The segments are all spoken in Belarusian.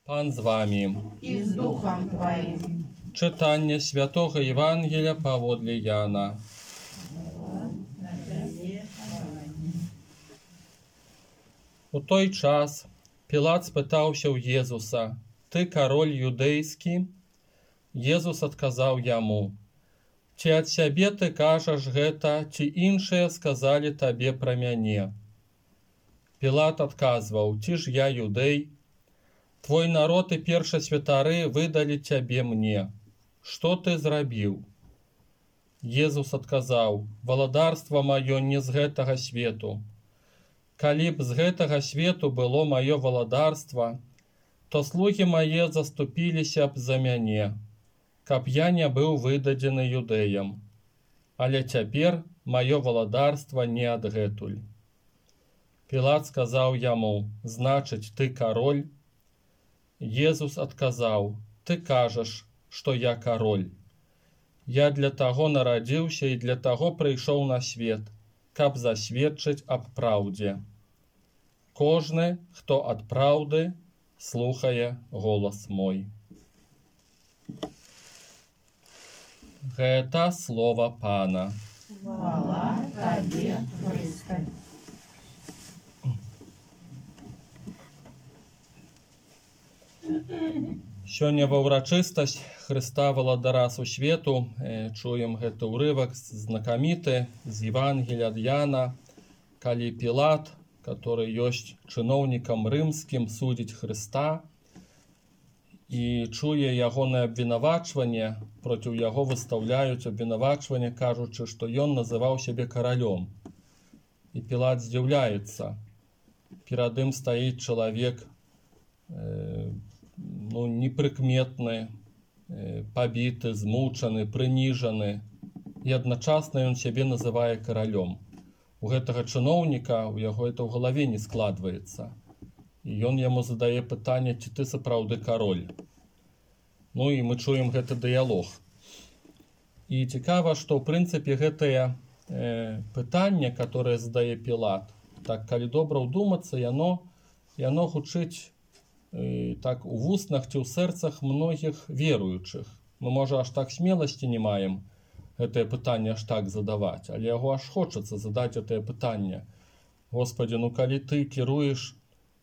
Пан з вами. И с Духом Твоим. Читання Святого Євангелія паводле Яна. У той час Пілат спытаўся ў Езуса: «Ты король юдэйскі?» Езус адказаў яму: «Ці ад сябе ты кажаш гэта, ці іншыя сказалі табе пра мяне?» Пілат адказваў: «Ці ж я юдэй? Твой народ і першасвятары выдалі цябе мне. Што ты зрабіў?» Езус адказаў: «Валадарства маё не з гэтага свету. Калі б з гэтага свету было маё валадарства, то слугі мае заступіліся б за мяне, каб я не быў выдадзены юдэям. Але цяпер маё валадарства не адгэтуль». Пілат сказаў яму: «Значыць, ты король?» Езус адказаў: «Ты кажаш, што я король. Я для таго нарадзіўся і для таго прыйшоў на свет, каб засведчыць аб праўдзе. Кожны, хто ад праўды, слухае голас мой». Гэта слова Пана. Хвала Табе, Христе. Сёння ва ўрачыстасць Хрыста Валадара сусвету чуем гэты ўрывак знакаміты з Евангелія ад Яна, калі Пілат, который ёсць чыноўнікам рымскім, судзіць Хрыста і чуе ягонае абвінавачванне, проціў яго выстаўляюць абвінавачванне, кажучы, што ён называў сябе каралём. І Пілат здзіўляецца. Перад ім стаіць чалавек непрыкметны, пабіты, змучаны, прыніжаны, і адначасна ён сябе называе каралём. У гэтага чыноўніка у яго это ў галаве не складваецца. І ён яму задае пытанне: ці ты сапраўды кароль? І мы чуем гэты дыялог. І цікава, што ў прынцыпе гэтае пытанне, которое задае Пілат, так калі добра ўдумацца, яно гучыць так у вуснах ці ў сэрцах многіх веруючых. Мы, можа, аж так смеласці не маем гэтае пытанне аж так задаваць, але яго аж хочацца задаць гэтае пытанне. Господі, калі ты кіруеш,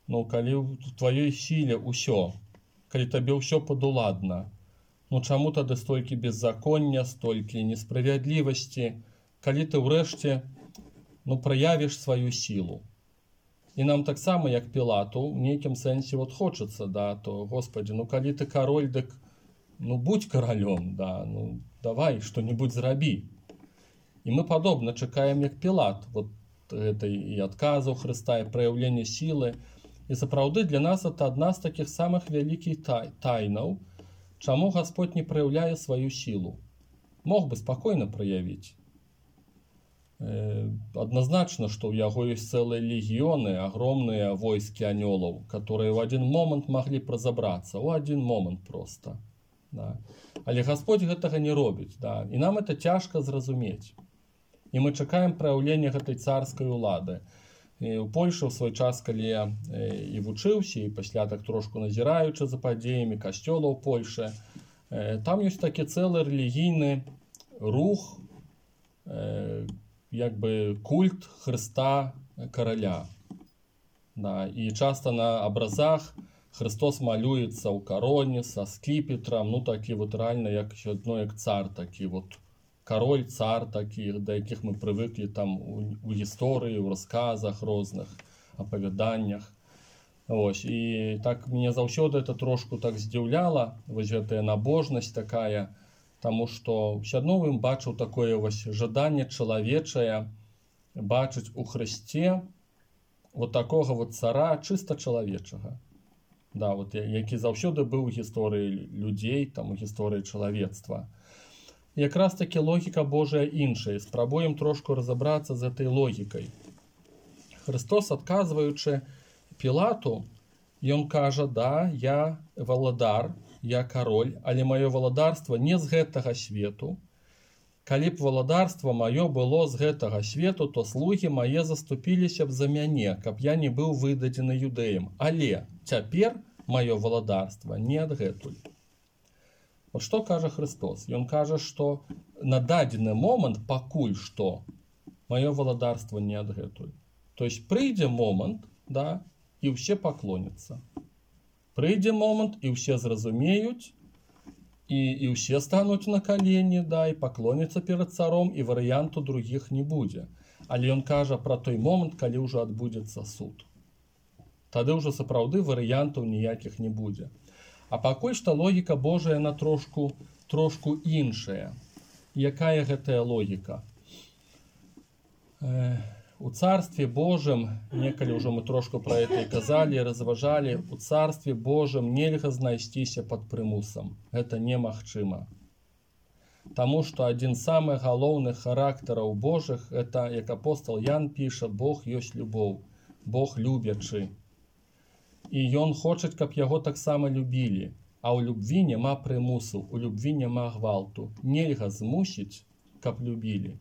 калі ў тваёй сіле ўсё, калі табе ўсё падуладна, чаму тады столькі беззаконня, столькі несправядлівасці, калі ты ўрэшце праявіш сваю сілу? І нам таксама, як Пілату, в нейкім сэнсе хочацца, то, Господі, калі ты король, дык будь каралём, давай што-небудзь зрабі. І мы падобна чакаем, як Пілат, гэтай і адказу Хрыста, і праяўлення сілы. І сапраўды для нас это адна з такіх самых вялікіх тайнаў, чаму Гасподь не праяўляе сваю сілу. Мог бы спакойна праявіць. Адназначна, што ў яго ёсць цэлыя легіёны, агромныя войскі анёлаў, которые ў адзін момант маглі б разабрацца, у адзін момант проста. Але Гасподь гэтага не робіць, і нам это цяжка зразумець. І мы чакаем праяўлення гэтай царскай улады. У Польшы ў свой час, калі я і вучыўся, і пасля так трошку назіраючы за падзеямі касцёла ў Польшы, там ёсць такі цэлы рэлігійны рух, культ Хрыста караля. І часта на абразах Христос малюецца ў кароне са скіпетрам, такі рэальна як цар, такі король, цар такі, да якіх мы прывыклі там у гісторыі, у расказах розных, апавяданнях. І так мяне заўсёды это трошку так здзіўляла, гэтая набожнасць такая, таму што ўсё адно ім бачыў такое жаданне чалавечае бачыць у Хрысце такога цара чыста чалавечага, які заўсёды быў у гісторыі людзей, у гісторыі чалавецтва. Якраз таки логіка Божая іншая. Спрабуем трошку разабрацца з гэтай логікай. Христос, адказваючы Пілату, ён кажа: «Да, я валадар, я король, але маё валадарства не з гэтага свету. Калі б валадарства маё было з гэтага свету, то слугі мае заступіліся б за мяне, каб я не быў выдадзены юдэям. Але цяпер маё валадарства не адгэтуль. Вот што кажа Христос? Ён кажа, што на дадзены момант пакуль што маё валадарства не адгэтуль. То есть прыйдзе момант, да, і ўсе паклоняцца. Прыйдзе момант, і ўсе зразумеюць, і ўсе стануць на калені, да, і паклоняцца перад царом, і варыянту другіх не будзе. Але ён кажа пра той момант, калі ўжо адбудзецца суд. Тады ўжо сапраўды варыянтаў ніякіх не будзе. А пакуль што логіка Божая, яна трошку іншая. Якая гэтая логіка? У Царстве Божым, некалі ўжо мы трошку пра гэта і казалі, разважалі, у Царстве Божым нельга знайсціся пад прымусам. Гэта немагчыма. Таму што адзін з самых галоўных характараў Божых, это, як апостол Ян піша, Бог ёсць любоў, Бог любячы. І ён хоча, каб яго таксама любілі. А ў любві няма прымусу, у любві няма гвалту. Нельга змусіць, каб любілі.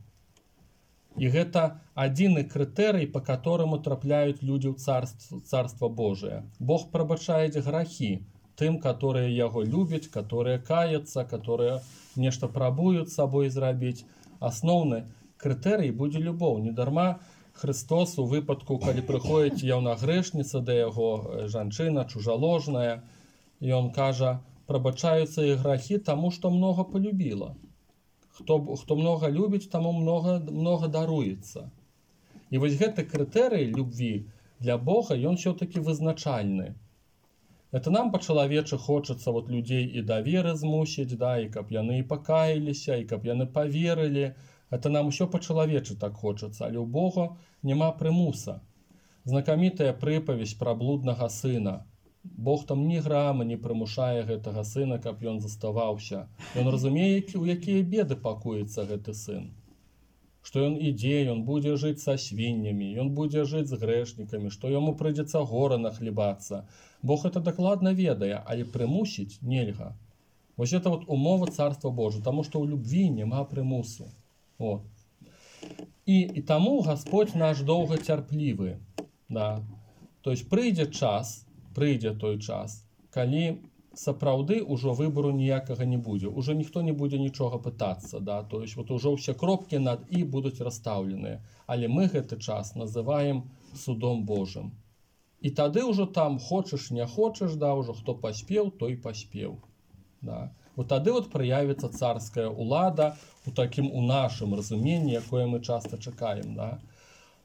І гэта адзіны крытэрый, па которому трапляюць людзі ў Царства Божие. Бог прабачае грахі тым, которые яго любяць, которые каяцца, которые нешта прабуюць сабой зрабіць. Асноўны крытэрый будзе любоў. Недарма Христос у выпадку, калі прыходзіць яўнагрэшніца да яго, жанчына чужаложная, і ён кажа, прабачаюцца і грахі таму, што многа полюбіла. Хто многа любіць, таму многа даруецца. І вось гэты крытэрый любві для Бога, ён ўсё-такі вызначальны. Это нам па-чалавечы хочацца людзей і да веры змусіць, да, і каб яны і пакаяліся, і каб яны паверылі. Это нам усё па-чалавечы так хочацца, але ў Бога няма прымуса. Знакамітая прыпавесць пра блуднага сына. Бог там ні грама не прымушае гэтага сына, каб ён заставаўся. Ён разумее, у якія беды пакуецца гэты сын. Што ён ідзе, ён будзе жыць са свіннямі, ён будзе жыць з грэшнікамі, што яму прыйдзецца гора нахлебацца. Бог это дакладна ведае, але прымусіць нельга. Вось это умова Царства Божия, таму што ў любві няма прымусу. Вот. І таму Господь наш доўгацярплівы. Да. То есть прыйдзе той час, калі сапраўды ўжо выбору ніякага не будзе. Уже ніхто не будзе нічога пытацца. Да. То есть ўжо ўсе кропкі над «і» будуць расстаўленыя. Але мы гэты час называем судом Божым. І тады ўжо там хочаш, не хочаш, да, ўжо хто паспеў, той паспеў. Да. Вот тады праявіцца царская улада у нашым разуменні, якое мы часта чакаем. Да.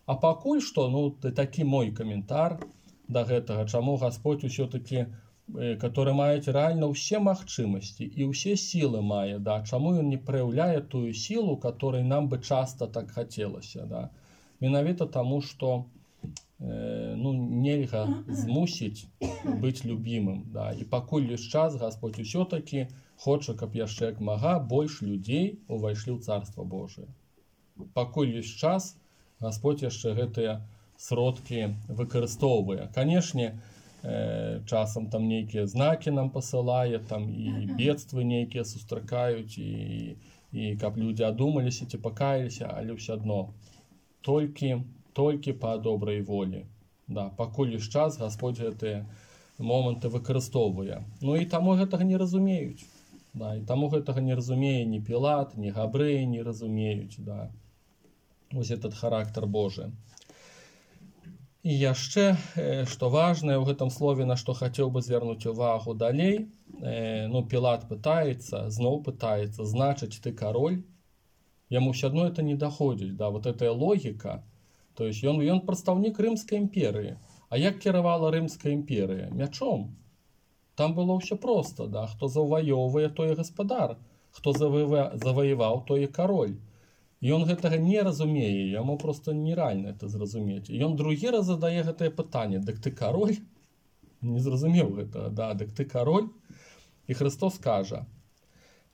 А пакуль што, такі мой каментар да гэтага, чаму Господь усё-таки, который маюць рэальна ўсе магчымасці і ўсе сілы мае, да, чаму ён не праяўляе тую сілу, которой нам бы часта так хацелася. Да. Менавіта таму, што нельга змусіць быць любімым. Да. І пакуль ёсць час, Господь усё-таки хоча, каб яшчэ як мага больш людзей увайшлі ў Царства Божие. Пакуль ёсць час, Господь яшчэ гэтыя сродкі выкарыстоўвае. Канешне, часам там нейкія знакі нам пасылае, там і бедствы нейкія сустракаюць, і каб людзі адумаліся ці пакаяліся, але ўсё адно толькі па добрай волі. Да, пакуль ёсць час, Господь гэтыя моманты выкарыстоўвае. І таму гэтага не разумеюць. Да, і таму гэтага не разумее ні Пілат, ні габрэі не разумеюць. Да. Вось этот характар Божий. І яшчэ, што важнае ў гэтым слове, на што хацеў бы звярнуць увагу далей, Пілат зноў пытаецца, значыць, ты кароль? Яму ўсё адно это не даходзіць. Да, вот эта логіка. То есть ён прадстаўнік Рымскай імперыі. А як кіравала Рымская імперыя? Мячом. Там было ўсё проста. Да? Хто заваёўвае, той і гаспадар. Хто заваяваў, той і кароль. Ён гэтага не разумее, яму просто нереально это зразумець. Ён другі раз задае гэтае пытанне: дык ты кароль? Не зразумеў гэтага. Да, дык ты кароль? І Христос кажа: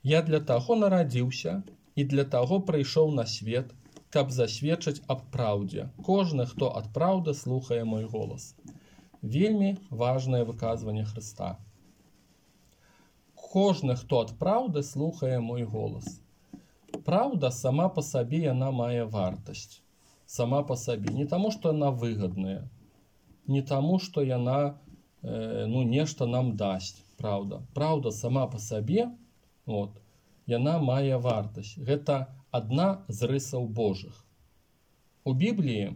я для таго нарадзіўся і для таго прыйшоў на свет, каб засведчыць аб праўдзе. Кожны, хто ад праўды слухае мой голас. Вельмі важнае выказванне Христа. Кожны, хто ад праўды слухае мой голас. Праўда сама па сабе яна мае вартасць. Сама па сабе. Не таму, што яна выгадная. Не таму, што яна ну, нешта нам дасць, праўда. Праўда сама па сабе, от, яна мае вартасць. Гэта адна з рысаў Божых. У Бібліі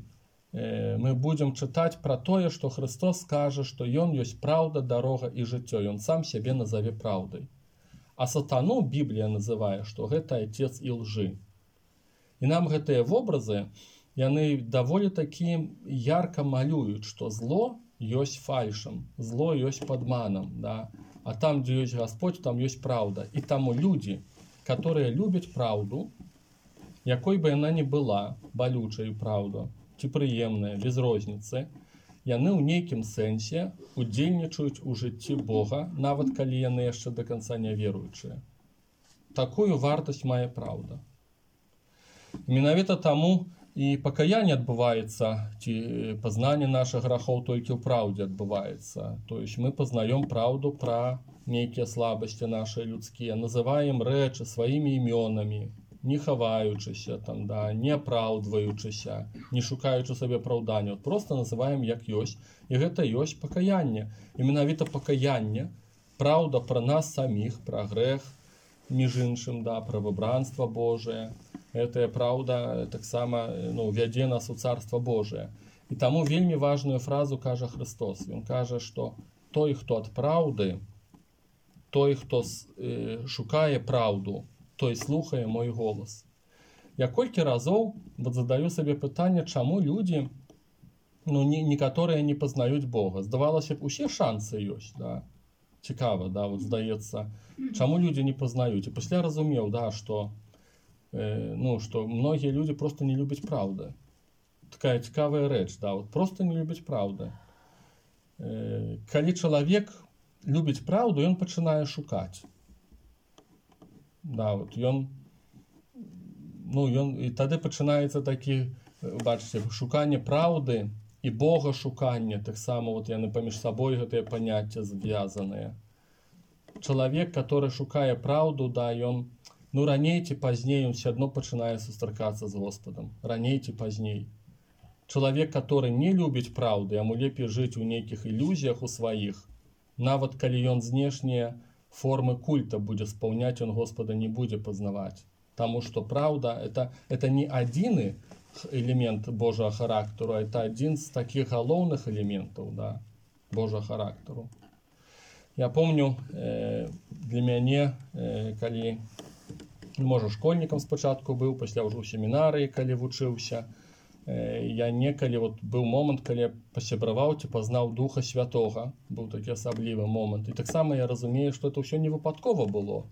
мы будзем чытаць пра тое, што Христос скажа, што Ён ёсць праўда, дарога і жыццё. Ён сам сябе назаве праўдай. А сатану Біблія называе, што гэта айцец і лжы. І нам гэтыя вобразы, яны даволі такі ярка малююць, што зло ёсць фальшам, зло ёсць падманам, да? А там, дзе ёсць Гасподзь, там ёсць праўда. І таму людзі, которые любяць праўду, якой бы яна ні была, балючая праўда, ці прыемная, без розніцы, яны ў нейкім сэнсе удзельнічаюць у жыцці Бога, нават калі яны яшчэ да канца не веруючыя. Такую вартасць мае праўда. Менавіта таму і пакаянне адбываецца, ці пазнанне нашых грахоў толькі ў праўдзе адбываецца. То есть мы пазнаём праўду пра нейкія слабасці нашыя людскія, называем рэчы сваімі імёнамі, не хаваючыся, там, да, не апраўдваючыся, не шукаючы сабе апраўдання. Просто называем як ёсць. І гэта ёсць пакаянне. І менавіта пакаянне, праўда пра нас саміх, пра грэх, між іншым, да, пра выбранства Божае. Гэтая праўда таксама, ну, вядзе нас у Царства Божае. І таму вельмі важную фразу кажа Христос. Ён кажа, што той, хто ад праўды, той, хто шукае праўду, той слухае мой голас. Я колькі разоў задаю сабе пытанне, чаму людзі, ну, некаторыя не пазнаюць Бога. Здавалася б, усе шансы ёсць, да? Цікава, да, вот здаецца, чаму людзі не пазнаюць. І пасля разумеў, да, што ну, што многія людзі просто не любяць праўды. Такая цікавая рэч, да, вот просто не любяць праўды. Калі чалавек любіць праўду, ён пачынае шукаць. Да, вот ён, ну, і тады пачынаецца такі, бачыце, шуканне праўды і Бога шуканне, таксама вот яны паміж сабой гэтыя паняцці звязаныя. Чалавек, который шукае праўду, да, ён, ну, раней ці пазней ён все адно пачынае сустракацца з Господам. Раней ці пазней. Чалавек, который не любіць праўды, яму лепей жыць у нейкіх ілюзіях у сваіх, нават калі ён знешнія формы культа будзе спаўняць, он Господа не будзе пазнаваць. Таму што праўда это не адзіны элемент Божага характару, а это адзін з такіх галоўных элементаў, да, Божага характару. Я помню, для мяне, калі, можа, школьнікам спачатку быў, пасля ўжо ў семінарыі, калі вучыўся, я некалі, вот быў момант, калі я пасябраваў ці пазнаў Духа Святога, быў такі асаблівы момант. І таксама я разумею, што это ўсё не выпадкова было.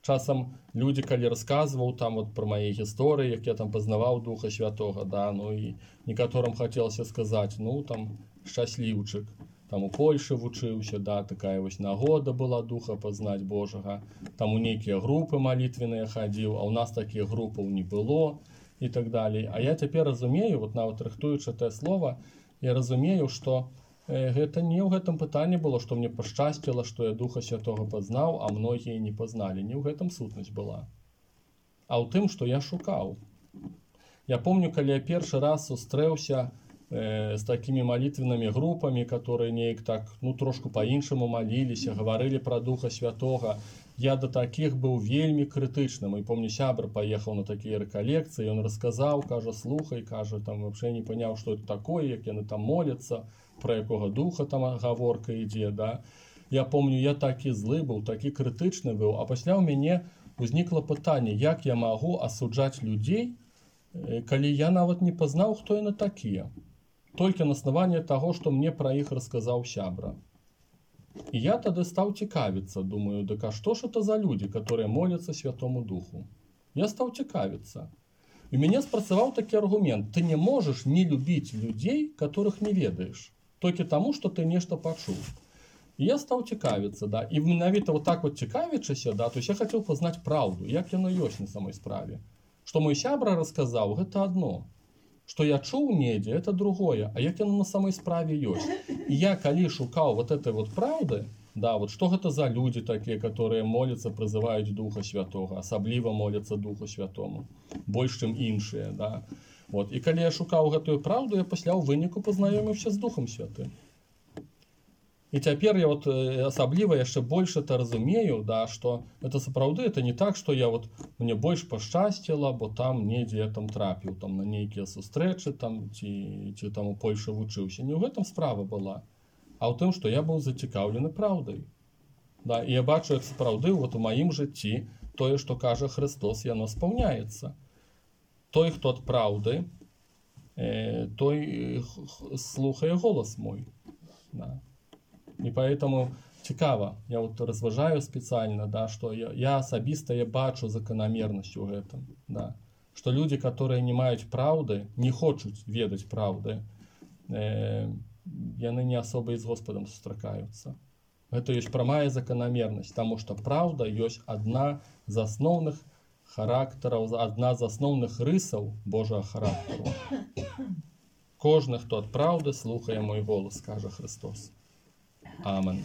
Часам людзі, калі расказваў там вот пра мае гісторыі, як я там пазнаваў Духа Святога, да, ну і некаторым хацелася сказаць, ну там шчасліўчык, там у Польшы вучыўся, да, такая вось нагода была Духа пазнаць Божага, там у нейкія групы малітвеныя хадзіў, а ў нас такіх групаў не было. І так далей. А я цяпер разумею, вот нават рыхтуючы тое слова, я разумею, што гэта не ў гэтым пытанні было, што мне пашчасціла, што я Духа Святога пазнаў, а многія не пазналі. Не ў гэтым сутнасць была. А ў тым, што я шукаў. Я помню, калі я першы раз сустрэўся з такімі малітвеннымі групамі, которые неяк так, ну, трошку па-іншаму маліліся, гаварылі пра Духа Святога. Я да такіх быў вельмі крытычным. І помню, сябр паехаў на такія рэкалекцыі, ён расказаў, кажа, слухай, кажа, там вообще не паняў, што это такое, як яны там моляцца, пра якога духа там гаворка ідзе, да. Я помню, я такі злы быў, такі крытычны быў, а пасля ў мяне узнікла пытанне, як я магу асуджаць людзей, калі я нават не пазнаў, хто яны такія. Толькі на аснаванні таго, што мне пра іх расказаў сябра. І я тады стаў цікавіцца, думаю, дык а што ж это за людзі, которые моляцца Святому Духу? Я стаў цікавіцца. І мяне спрацаваў такі аргумент. Ты не можаш не любіць людзей, которых не ведаеш, толькі таму, што ты нешта пачуў. І я стаў цікавіцца, да. І менавіта вот так вот цікавячыся, да, то есть я хацеў пазнаць праўду, як яно ёсць на самой справе. Што мой сябра расказаў, гэта адно. Што я чуў недзе, это другое, а як яно на самой справе ёсць. І я калі шукаў вот этой вот праўды, да, вот што гэта за людзі такія, которые моляцца, прызываюць Духа Святога, асабліва моляцца Духу Святому, больш чым іншыя, да. Вот. І калі я шукаў гэтую праўду, я пасля ў выніку пазнаёміўся з Духам Святым. І цяпер я вот асабліва яшчэ больш это разумею, да, што это сапраўды, это не так, што я вот мне больш пашчасціла, бо там недзе я там трапіў там на нейкія сустрэчы там ці там у Польшы вучыўся. Не ў гэтым справа была, а ў тым, што я быў зацікаўлены праўдай. Да, і я бачу, як сапраўды вот у маім жыцці тое, што кажа Христос, яно спаўняецца. Той, хто ад праўды, той слухае голас мой. Да. И поэтому цікава, я вот разважаю специально, да, что я асабіста я бачу закономернасць у гэтым, да, что люди, которые не маюць праўды, не хочуць ведаць праўды, яны не особо і з Господом сустракаюцца. Гэта ёсць прамая закономернасць, таму што праўда ёсць адна з асноўных характараў, адна з асноўных рысаў Божага характару. Кожны, хто ад праўды, слухае мой голас, кажа Христос. Amen.